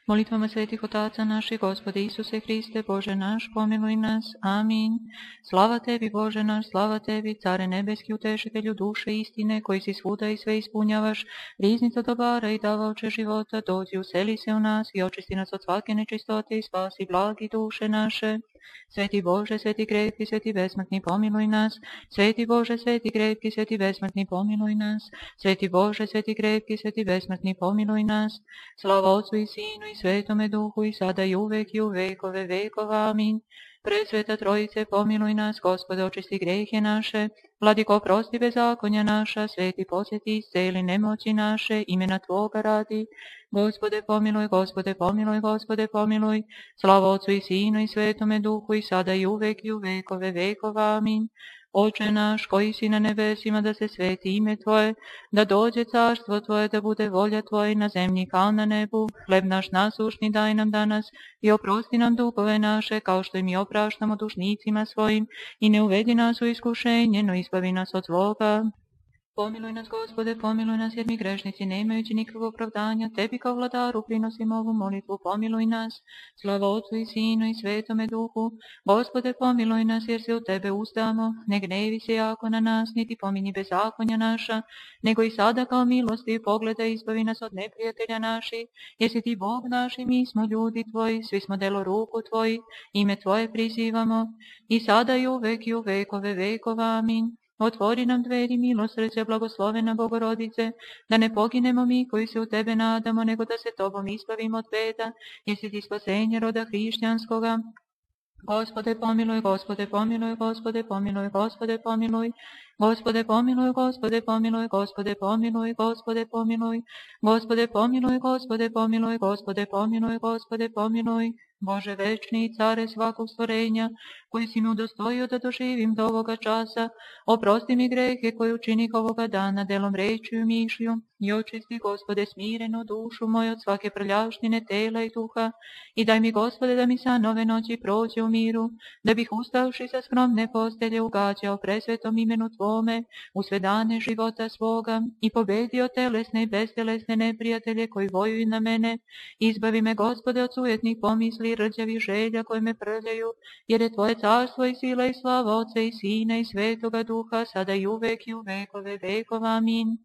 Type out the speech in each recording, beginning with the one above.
Molitvama svetih otaca naših, Gospode Isuse Hriste, Bože naš, pomiluj nas. Amin. Slava tebi, Bože naš, slava tebi, Care nebeski, utešitelju duše istine, koji si svuda i sve ispunjavaš, riznica dobara i davaoče života, dođi, useli se u nas i očisti nas od svake nečistote i spasi blagi duše naše. Sveti Bože, sveti krepki, sveti besmrtni, pomiluj nas. Sveti Bože, sveti krepki, sveti besmrtni, pomiluj nas. Sveti Bože, sveti krepki, sveti besmrtni, pomiluj nas. Slava Otcu i Sinu i Svetome Duhu i sada i uvek i u vekove vekova. Amin. Presveta Trojice, pomiluj nas, Gospode, očisti grehe naše, Vladiko, oprosti bezakonja naša, Sveti posjeti, isceli nemoći naše, imena Tvoga radi. Gospode, pomiluj, Gospode, pomiluj, Gospode, pomiluj. Slava Otcu i Sinu i Svetome Duhu i sada i uvek i u vekove vekova. Amin. Oče naš, koji si na nebesima, da se sveti ime Tvoje, da dođe carstvo Tvoje, da bude volja Tvoja na zemlji kao na nebu. Hleb naš nasušni daj nam danas i oprosti nam dugove naše, kao što i mi opraštamo dužnicima svojim, i ne uvedi nas u iskušenje, no izbavi nas od zloga. Pomiluj nas, Gospode, pomiluj nas, jer mi grešnici, ne imajući nikakvog opravdanja, Tebi kao vladaru prinosimo ovu molitvu, pomiluj nas. Slava Otcu i Sinu i Svetome Duhu. Gospode, pomiluj nas, jer se u Tebe uzdamo, ne gnevi se jako na nas, niti pominji bezakonja naša, nego i sada kao milosti pogledaj, izbavi nas od neprijatelja naših, jer si Ti Bog naš i mi smo ljudi Tvoji, svi smo delo ruku Tvoji, ime Tvoje prizivamo, i sada i uvek i u vekove vekova. Amin. Otvori nam dveri milosrđa, blagoslovena Bogorodice, da ne poginemo mi koji se u Tebe nadamo, nego da se Tobom izbavimo od beda, jer si Ti spasenje roda hrišćanskoga. Gospode pomiluj, Gospode pomiluj, Gospode pomiluj, Gospode pomiluj. Gospode pomiluj, Gospode pomiluj, Gospode pomiluj, Gospode pomiluj. Gospode pomiluj, Gospode pomiluj, Gospode pomiluj, Gospode pomiluj. Bože večni i care svakog stvorenja, koji si me udostojio da doživim do ovoga časa, oprosti mi grehe koje učinih ovoga dana, delom, rečju i mišlju, i očisti, Gospode, smireno dušu moju od svake prljavštine tela i duha, i daj mi, Gospode, da mi sa nove noći prođe u miru, da bih ustavši sa skromne postelje ugađao presvetom imenu Tvome u sve dane života svoga i pobedio telesne i bestelesne neprijatelje koji vojuju na mene. Izbavi me, Gospode, od sujetnih pomisli i rđavih želja koje me prljaju, jer je Tvoje carstvo i sila i slava Otca i Sina i Svetoga Duha, sada i uvek i u vekove vekova. Amin.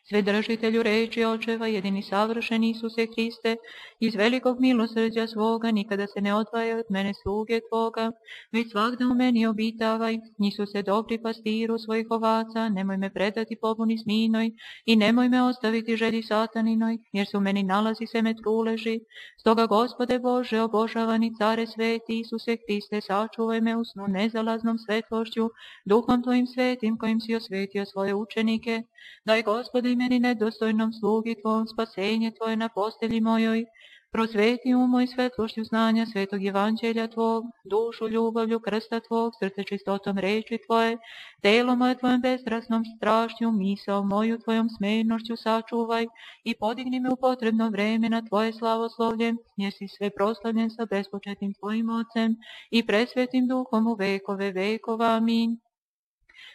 Svedržitelju reči očeva, jedini savršeni Isuse Hriste, iz velikog milosrđa svoga, nikada se ne odvaja od mene sluge Tvoga, već svakda u meni obitavaj. Isuse, dobri pastiru svojih ovaca, nemoj me predati pobuni sminoj i nemoj me ostaviti želji sataninoj, jer se u meni nalazi seme truleži. Stoga, Gospode Bože, obožavani care sveti, Isuse Hriste, sačuvaj me u snu nezalaznom svetlošću, duhom Tvojim svetim kojim si osvetio svoje učenike. Daj, Gospode, i meni nedostojnom slugi Tvom spasenje Tvoje na postelji mojoj. Prosveti moj svetlošću znanja svetog evanđelja Tvog, dušu ljubavlju krsta Tvog, srce čistotom reči Tvoje, telo moje Tvojom bestrasnom strašću, misao moju Tvojom smernošću sačuvaj i podigni me u potrebno vreme na Tvoje slavoslovlje, jer si sve proslavljen sa bespočetnim Tvojim Ocem i presvetim Duhom u vekove vekova. Amin.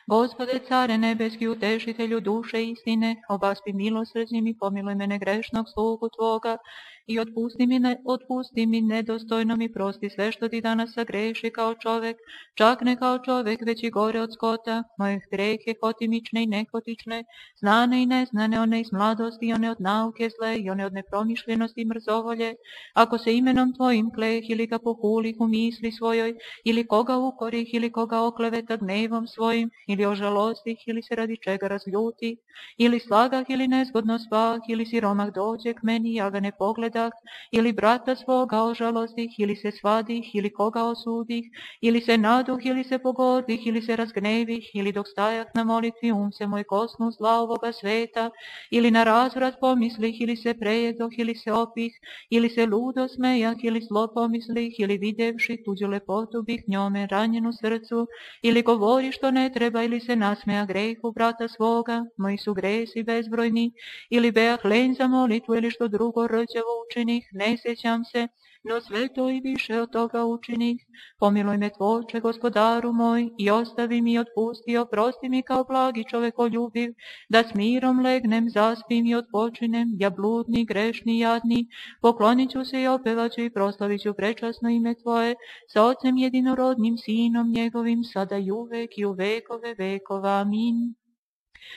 Gospode, care nebeski, utešitelju duše istine, obaspi milosrđim i pomiluj mene grešnog slugu Tvoga i otpusti mi nedostojnom i prosti sve što Ti danas sagreši kao čovek, čak ne kao čovek, već i gore od skota, moje grehe hotimične i nehotične, znane i neznane, one iz mladosti i one od nauke zle i one od nepromišljenosti i mrzovolje, ako se imenom Tvojim kleh ili ga pohulih u misli svojoj, ili koga ukorih, ili koga okleveta gnevom svojim, ili ožalostih, ili se radi čega razljutih, ili slagah, ili nezgodno spah, ili siromah dođe k meni, ja ga ne pogledah, ili brata svoga ožalostih, ili se svadih, ili koga osudih, ili se naduh, ili se pogordih, ili se razgnevih, ili dok stajah na molitvi se moj kosnu zla ovoga sveta, ili na razvrat pomislih, ili se prejedoh, ili se opih, ili se ludo smejah, ili zlo pomislih, ili videvši tuđu lepotu bih njome ranjenu srcu, ili govori što ne treba, ili se nasmeja grehu brata svoga, moji su gresi bezbrojni, ili beah len za molitvu, ili što drugo rđavo učinih, ne sjećam se, no sve to i više od toga učinih. Pomiluj me Tvoče, Gospodaru moj, i ostavi mi, otpusti, oprosti mi kao blagi čovekoljubiv, da s mirom legnem, zaspim i odpočinem, ja bludni, grešni, jadni, poklonit ću se i opevat ću i proslavit ću prečasno ime Tvoje, sa Otcem jedinorodnim, Sinom njegovim, sada i uvek i u vekove vekova. Amin.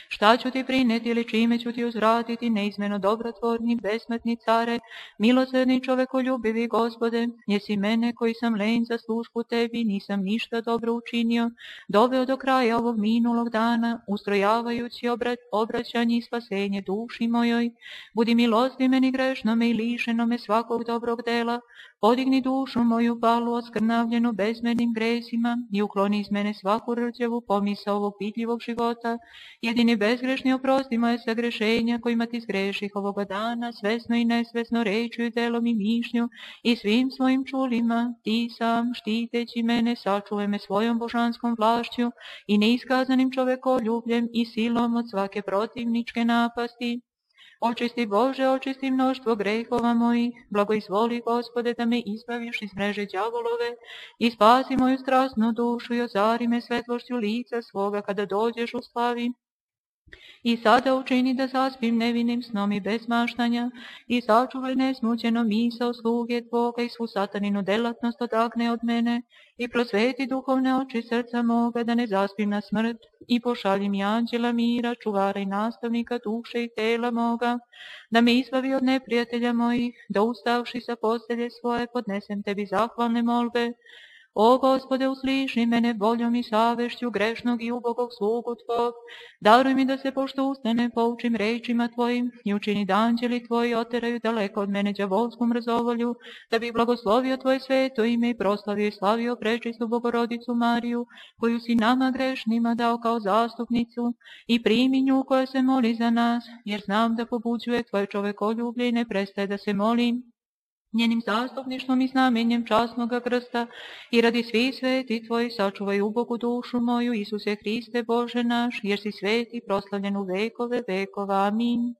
Šta ću ti prineti ili čime ću ti uzvratiti, neizmjerno dobrotvorni, besmrtni care, milosrdni čovekoljubivi Gospode, jesi mene koji sam len za službu tebi, nisam ništa dobro učinio, doveo do kraja ovog minulog dana, ustrojavajući obraćanje i spasenje duši mojoj. Budi milostiv meni grešnome i lišenome svakog dobrog dela, podigni dušu moju palu oskrnavljenu bezmernim gresima i ukloni iz mene svaku rđavu pomisao ovog pitljivog života. Jedini bezgrešni oprosti moje sagrešenja kojima ti zgreših ovoga dana, svesno i nesvesno rečju i delom i mišlju i svim svojim čulima. Ti sam, štiteći mene, sačuvaj me svojom božanskom vlašću i neiskazanim čovekoljubljem i silom od svake protivničke napasti. Očisti Bože, očisti mnoštvo grehova mojih, blagoizvoli Gospode da me izbaviš iz mreže đavolove i spasi moju strasnu dušu i ozari me svetlošću lica svoga kada dođeš u slavi. I sada učini da zaspim nevinim snom i bez maštanja i sačuvaj nesmućeno misao sluge Tvoga i svu sataninu delatnost odagne od mene i prosveti duhovne oči srca moga da ne zaspim na smrt i pošalji mi anđela mira, čuvara i nastavnika duše i tela moga, da me izbavi od neprijatelja mojih, da ustavši sa postelje svoje podnesem tebi zahvalne molbe. O Gospode, usliši mene voljom i savešću grešnog i ubogog slugu Tvog. Daruj mi da se pošto ustane poučim rečima Tvojim i učini da anđeli Tvoji oteraju daleko od mene đavolsku mrzovolju, da bi blagoslovio Tvoje sveto ime i proslavio i slavio prečistu Bogorodicu Mariju, koju si nama grešnima dao kao zastupnicu, i primi nju koja se moli za nas, jer znam da pobuđuje Tvoje čovekoljublje i ne prestaje da se molim. Njenim zastupništvom i znamenjem časnoga krsta i radi svih sveti Tvoji sačuvaj ubogu dušu moju, Isuse Hriste Bože naš, jer si sveti proslavljen u vekove vekova. Amin.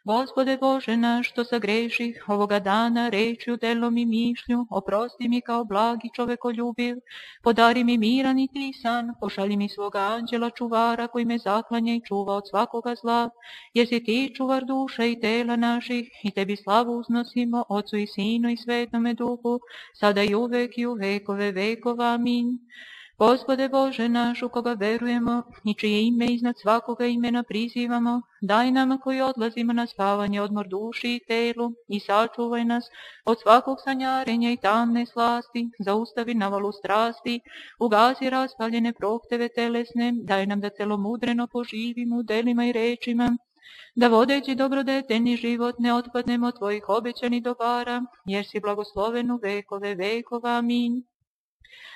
Gospode Bože naš, što sagreših ovoga dana rečju, delom i mišlju, oprosti mi kao blagi čovekoljubiv, podari mi miran i tisan, pošalji mi svoga anđela čuvara koji me zaklanja i čuva od svakoga zla, jer si ti čuvar duša i tela naših i tebi slavu uznosimo, Otcu i Sinu i Svetome Duhu, sada i uvek i u vekove vekova. Amin. Gospode Bože naš, u koga verujemo i čije ime iznad svakoga imena prizivamo, daj nama koji odlazimo na spavanje odmor duši i telu i sačuvaj nas od svakog sanjarenja i tamne slasti, zaustavi navalu strasti, ugasi raspaljene prohteve telesne, daj nam da celomudreno poživimo u delima i rečima, da vodeći dobrodeteljni život ne otpadnemo od Tvojih obećanih dobara, jer si blagosloven u vekove vekova. Amin.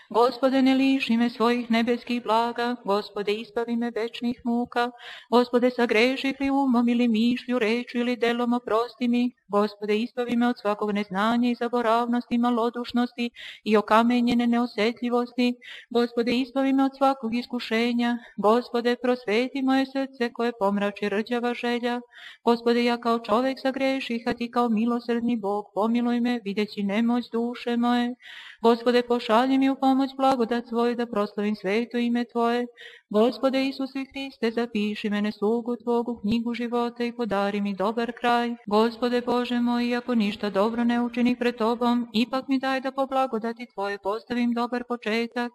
Gospode, ne liši me svojih nebeskih blaga, Gospode, izbavi me večnih muka, Gospode, sagreših li umom ili mišlju, rečju ili delom, oprosti mi, Gospode, izbavi me od svakog neznanja i zaboravnosti, malodušnosti i okamenjene neosjetljivosti, Gospode, izbavi me od svakog iskušenja, Gospode, prosveti moje srce koje pomrači rđava želja, Gospode, ja kao čovek sagreših, a Ti kao milosrdni Bog, pomiluj me, videći nemoć duše moje, Gospode, pošalji mi u pomoć blagodat svoju da proslavim sveto ime Tvoje. Gospode Isuse Hriste, zapiši mene slugu Tvogu u knjigu života i podari mi dobar kraj. Gospode Bože moj, ako ništa dobro ne učinih pred Tobom, ipak mi daj da po blagodati Tvoje postavim dobar početak.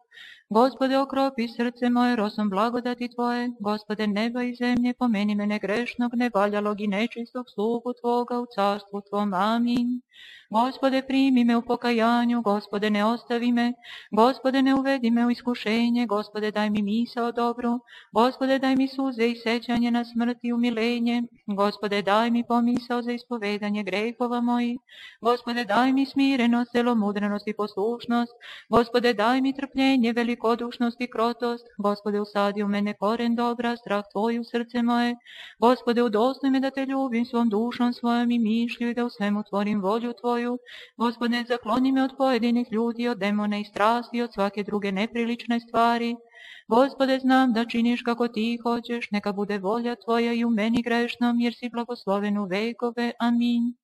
Gospode, okropi srce moje rosom blagodati Tvoje. Gospode neba i zemlje, pomeni mene grešnog, nevaljalog i nečistog slugu Tvoga u carstvu Tvom. Amin. Gospode, primi me u pokajanju, Gospode, ne ostavi me, Gospode, ne uvedi me u iskušenje, Gospode, daj mi misao dobru, Gospode, daj mi suze i sećanje na smrt i umilenje, Gospode, daj mi pomisao za ispovedanje grehova mojih, Gospode, daj mi smirenost, celomudrenost i poslušnost, Gospode, daj mi trpljenje, velikodušnost i krotost, Gospode, usadi u mene koren dobra, strah Tvoj u srce moje, Gospode, udostojme me da Te ljubim svom dušom svojom i mišlju i da u svemu tvorim volju Tvoju. Gospode, zakloni me od pojedinih ljudi, od demona i strasti, od svake druge neprilične stvari. Gospode, znam da činiš kako ti hoćeš, neka bude volja tvoja i u meni grešnom, jer si blagosloven u vekove. Amin.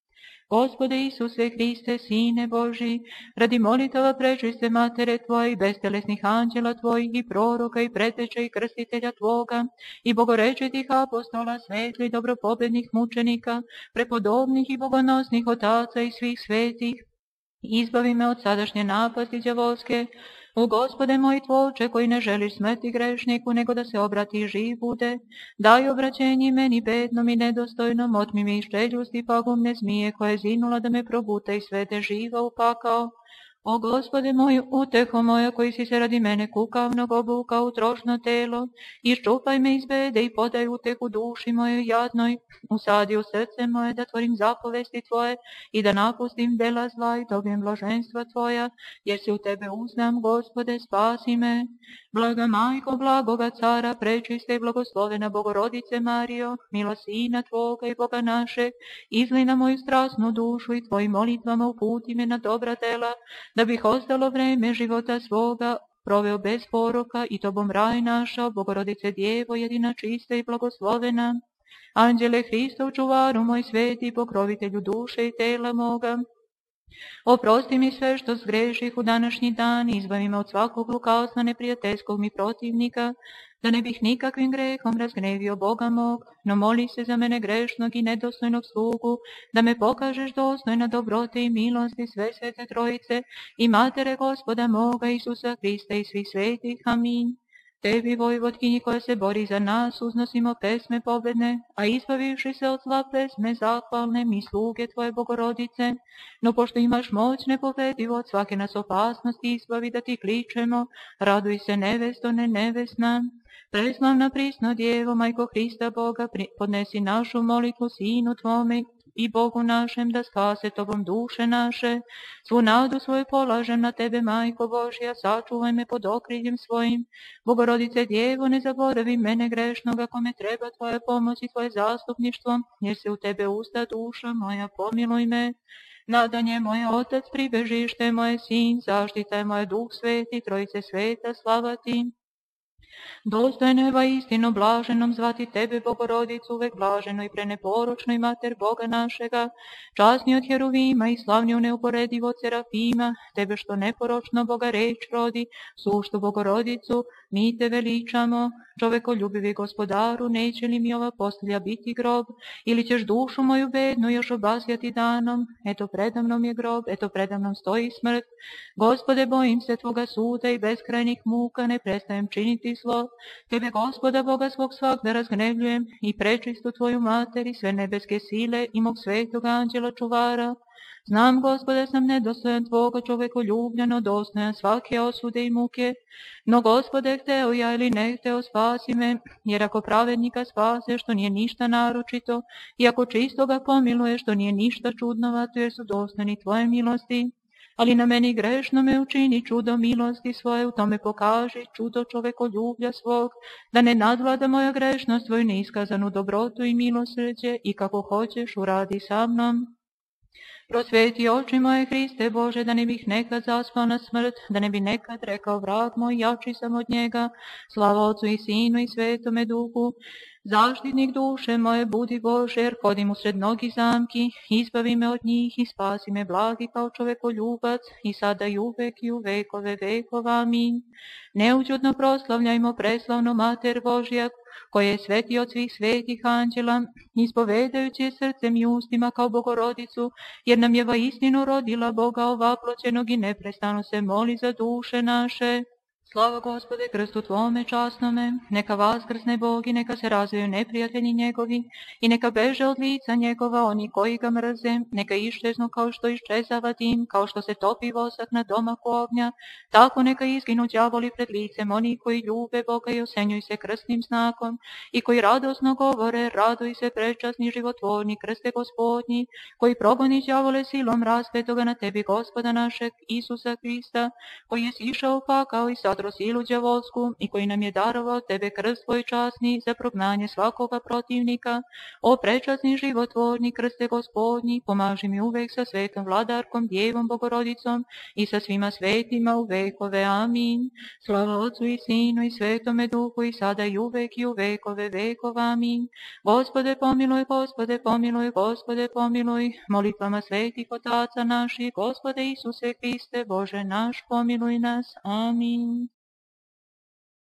Gospode Isuse Hriste, Sine Boži, radi molitava prečiste Matere Tvoje i bestelesnih anđela Tvojih i proroka i preteče i krstitelja Tvoga i bogorečitih apostola, svetli dobropobednih mučenika, prepodobnih i bogonosnih otaca i svih svetih, izbavi me od sadašnje napasti đavolske. O Gospode moj Tvoče, koji ne želiš smrti grešniku, nego da se obrati i živ bude, daj obraćenje meni bednom i nedostojnom, otmi mi ščeljusti pagubne zmije, koja je zinula da me probuta i svede živa u pakao. O Gospode moj, uteho moja, koji si se radi mene kukavnog obukao u trošno telo, iščupaj me iz bede i podaj utehu duši mojoj jadnoj, usadi u srce moje da tvorim zapovesti Tvoje i da napustim dela zla i dobijem blaženstva Tvoja, jer se u Tebe uznam, Gospode, spasi me. Blaga Majko, blagoga Cara, prečiste i blagoslovena Bogorodice Marijo, milo Sina Tvoga i Boga našeg, izli na moju strasnu dušu i Tvojim molitvama uputi me na dobra dela, da bih ostalo vreme života svoga proveo bez poroka i Tobom raj našao, Bogorodice Djevo, jedina čista i blagoslovena. Anđele Hristov, čuvaru moj sveti, pokrovitelju duše i tela moga, oprosti mi sve što zgreših u današnji dan, izbavi me od svakog lukavstva neprijateljskog mi protivnika, da ne bih nikakvim grehom razgnevio Boga mog, no moli se za mene grešnog i nedostojnog slugu, da me pokažeš dostojna dobrote i milosti sve svete Trojice i Matere Gospoda moga Isusa Hrista i svih svetih. Amin. Tebi, Vojvodkinji, koja se bori za nas, uznosimo pesme pobedne, a izbavivši se od zla pesme zahvalne, mi sluge Tvoje Bogorodice, no pošto imaš moć nepobedivo od svake nas opasnosti izbavi da Ti kličemo, raduj se nevesto, ne nevesna. Preslavna prisno Djevo, Majko Hrista Boga, podnesi našu molitvu Sinu Tvome i Bogu našem, da spase Tobom duše naše. Svu nadu svoju polažem na Tebe, Majko Božja, sačuvaj me pod okriljem svojim. Bogorodice Djevo, ne zaboravi mene grešnog, ako me treba Tvoja pomoć i Tvoje zastupništvo, jer se u Tebe usta duša moja, pomiluj me. Nadanje moje Otac, pribežište moje Sin, zaštita je moje Duh Sveti, Trojice sveta, slava Ti. Dostojno je vaistinu blaženom zvati Tebe, Bogorodicu, uvek blaženo i preneporočno i Mater Boga našega, časni od Heruvima i slavni u neuporedivo od Serafima, Tebe što neporočno Boga reč rodi, suštu Bogorodicu, mi Te veličamo. Čovekoljubivi Gospodaru, neće li mi ova postelja biti grob, ili ćeš dušu moju bednu još obasjati danom? Eto predamnom je grob, eto predamnom stoji smrt. Gospode, bojim se Tvoga suda i beskrajnih muka, ne prestajem činiti zlo. Tebe, Gospoda Boga svog svagda razgnevljujem i prečistu Tvoju Mater i sve nebeske sile i mog svetog anđela čuvara. Znam, Gospode, sam nedostojan Tvoga čovekoljubljeno, dostojan svake osude i muke, no Gospode, hteo ja ili ne hteo, spasi me, jer ako pravednika spase, što nije ništa naročito, i ako čistoga pomiluje, što nije ništa čudnovato, jer su dostojni Tvoje milosti, ali na meni grešno me učini čudo milosti svoje, u tome pokaži čudo čovekoljublja svog, da ne nadvlada moja grešnost Tvoju neiskazanu dobrotu i milosrđe, i kako hoćeš uradi sa mnom. Prosveti oči moje, Hriste Bože, da ne bih nekad zaspao na smrt, da ne bi nekad rekao vrag moj, jači sam od njega. Slava Otcu i Sinu i Svetome Duhu. Zaštitnik duše moje, budi Bože, jer hodim usred mnogih zamki, izbavi me od njih i spasi me blagi kao čovekoljubac, i sada i uvek i u vekove vekova. Amin. Neućutno proslavljajmo preslavnu Mater Božja, koja je sveti od svih svetih anđela, ispovedajući je srcem i ustima kao Bogorodicu, jer nam je vaistinu rodila Boga ovaploćenog i neprestano se moli za duše naše. Slava Gospode krstu Tvome časnome, neka vaskrsne Bog i neka se razviju neprijatelji njegovi i neka beže od lica njegova oni koji ga mrze, neka iščeznu kao što iščezava dim, kao što se topi vosak na domaku ognja, tako neka izginu đavoli pred licem oni koji ljube Boga i osenjuju se krstnim znakom i koji radosno govore, raduj se prečasni životvorni krste Gospodnji, koji progoni đavole silom raspetoga na Tebi Gospoda našeg Isusa Hrista, koji je sišao pakao i sad zadro silu đavolsku i koji nam je darovao tebe krst tvoj časni za prognanje svakoga protivnika. O prečasni životvorni krste Gospodnji, pomaži mi uvek sa svetom vladarkom, Djevom Bogorodicom i sa svima svetima u vekove. Amin. Slava Otcu i Sinu i Svetome Duhu i sada i uvek i u vekove vekova. Amin. Gospode pomiluj, Gospode pomiluj, Gospode pomiluj, molitvama svetih otaca naših, Gospode Isuse Hriste, Bože naš, pomiluj nas. Amin.